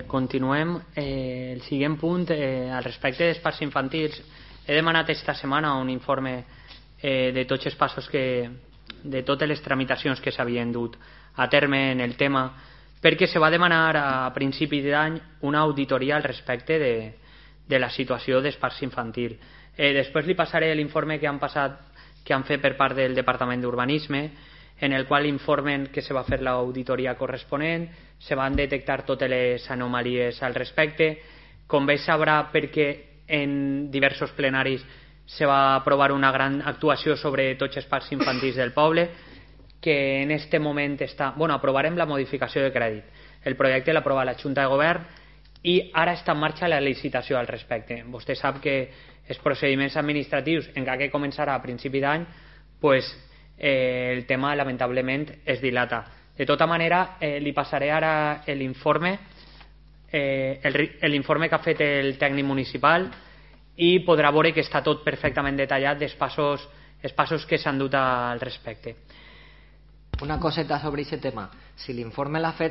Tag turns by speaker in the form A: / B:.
A: Continuem. El següent punt, al respecte dels parcs infantils, he demanat esta setmana un informe de tots els passos de totes les tramitacions que s'havien dut a terme en el tema, perquè se va demanar a principi d'any una auditoria al respecte de la situació dels parcs infantils. Després li passaré l'informe que han fet per part del Departament d'Urbanisme, en el qual informen que se va fer l'auditoria corresponent, se van detectar totes les anomalies al respecte. Com bé sabrà, perquè en diversos plenaris se va aprovar una gran actuació sobre tots els parcs infantils del poble, que en este moment aprovarem la modificació de crèdit. El projecte l'aprova la Junta de Govern i ara està en marxa la licitació al respecte. Vostè sap que els procediments administratius, encara que començarà a principi d'any, el tema lamentablement es dilata. De tota manera, li passaré ara l'informe que ha fet el tècnic municipal i podrà veure que està tot perfectament detallat els passos que s'han dut al respecte.
B: Una coseta sobre aquest tema. Si l'informe l'ha fet